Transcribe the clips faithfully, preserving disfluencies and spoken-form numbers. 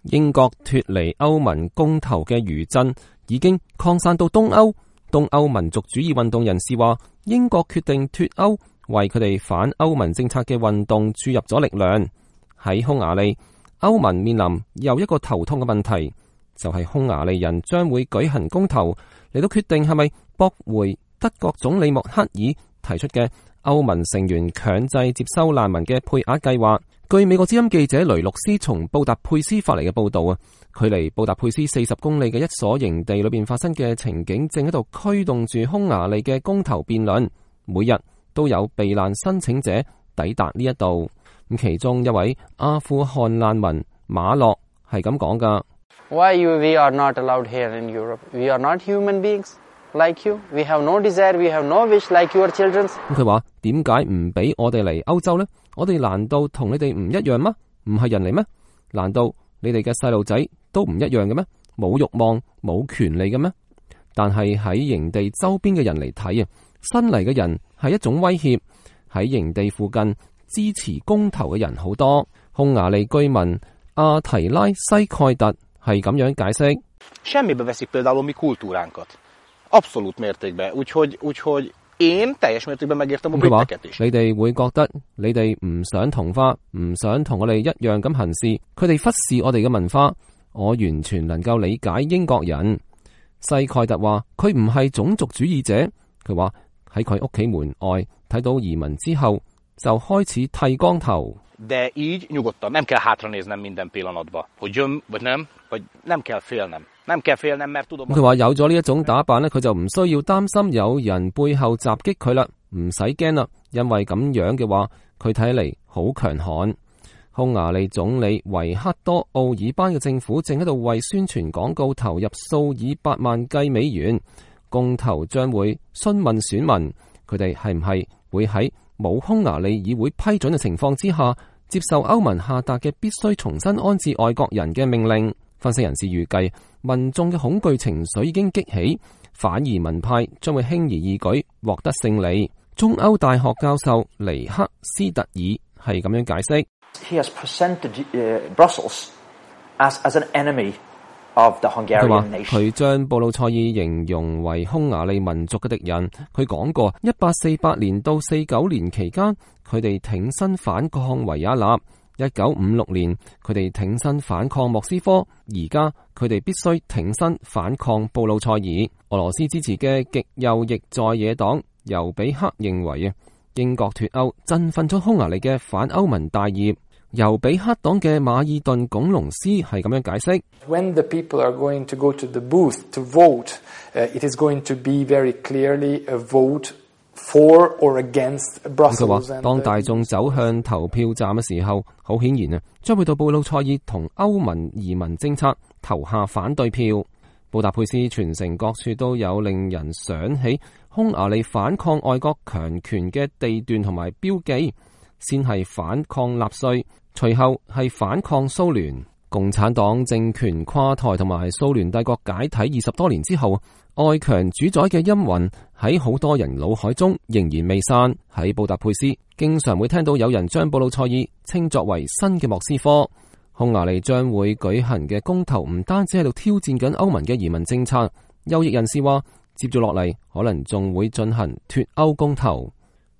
英國脫離歐盟公投嘅餘震已經擴散到東歐。東歐民族主義運動人士話，英國決定脫歐，為佢哋反歐盟政策嘅運動注入咗力量。喺匈牙利，歐盟面臨又一個頭痛嘅問題，就係匈牙利人將會舉行公投嚟到決定係咪駁回德國總理默克爾提出嘅歐盟成員強制接收難民嘅配額計劃。據美國之音記者雷洛斯從布達佩斯發嚟嘅報道啊，距離布達佩斯四十公里嘅一所營地裏邊發生嘅情景，正喺度驅動住匈牙利嘅公投辯論。每日都有避難申請者抵達呢一度。咁其中一位阿富汗難民馬洛係咁講噶。Why you we are not allowed here in Europe? We are not human beings like you. We have no desire. We have no wish like your children. 咁佢話點解唔俾我哋嚟歐洲呢？我哋難道同你哋唔一樣嗎？唔係人嚟咩？難道你哋嘅細路仔都唔一樣嘅咩？冇慾望、冇權利嘅咩？但係喺營地周邊嘅人嚟睇啊，新嚟嘅人係一種威脅。喺營地附近支持公投嘅人好多。匈牙利居民阿提拉西蓋特係咁樣解釋。Semmibe veszik például mi kultúránkat. Abszolút mértékben. Úgyhogy úgyhogy én teljes mértékben megértem a britteket is. 你哋會覺得你哋唔想同化，唔想同我哋一樣咁行事，佢哋忽視我哋嘅文化。我完全能夠理解英國人。西蓋特話佢唔係種族主義者，佢話喺佢屋企門外睇到移民之後，就開始剃光頭。De így nyugodtan, nem kell hátranéznem minden pillanatba, hogy jön vagy nem, vagy nem kell félnem. Nem kell félnem, mert tudom. 佢話有咗呢一種打扮咧，佢就唔需要擔心有人背後襲擊佢啦，唔使驚啦，因為咁樣嘅話，佢睇嚟好強悍。匈牙利總理維克多奧爾班嘅政府正喺度為宣傳廣告投入數以百萬計美元，公投將會詢問選民，佢哋係唔係會喺冇匈牙利議會批准嘅情況之下，接受歐盟下達嘅必須重新安置外國人嘅命令。分析人士預計，民眾嘅恐懼情緒已經激起，反移民派將會輕而易舉獲得勝利。中歐大學教授尼克斯特爾係咁樣解釋。He has presented Brussels as as an enemy of the Hungarian nation. 佢將布魯塞爾形容為匈牙利民族嘅敵人。佢講過，一八四八年到四九年期間，佢哋挺身反抗維也納；一九五六年，佢哋挺身反抗莫斯科；而家佢哋必須挺身反抗布魯塞爾。俄羅斯支持嘅極右翼在野黨尤比克認為啊，英國脫歐振奮咗匈牙利嘅反歐盟大業。尤比克黨嘅馬爾頓鞏龍斯係咁樣解釋。When the people are going to go to the booth to vote, uh, it is going to be very clearly a vote for or against Brussels. 佢話，當大眾走向投票站嘅時候，好顯然啊，將會到布魯塞爾同歐盟移民政策投下反對票。布達佩斯全城各處都有令人想起匈牙利反抗外國強權嘅地段同埋標記，先係反抗納粹，隨後係反抗蘇聯。共產黨政權垮台同埋蘇聯帝國解體二十多年之後，外強主宰嘅陰魂喺好多人腦海中仍然未散。喺布達佩斯，經常會聽到有人將布魯塞爾稱作為新嘅莫斯科。匈牙利將會舉行嘅公投唔單止喺度挑戰緊歐盟嘅移民政策，右翼人士話接住落嚟可能仲會進行脫歐公投。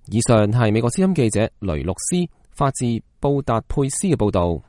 以上係美國之音記者雷洛斯發自布達佩斯嘅報道。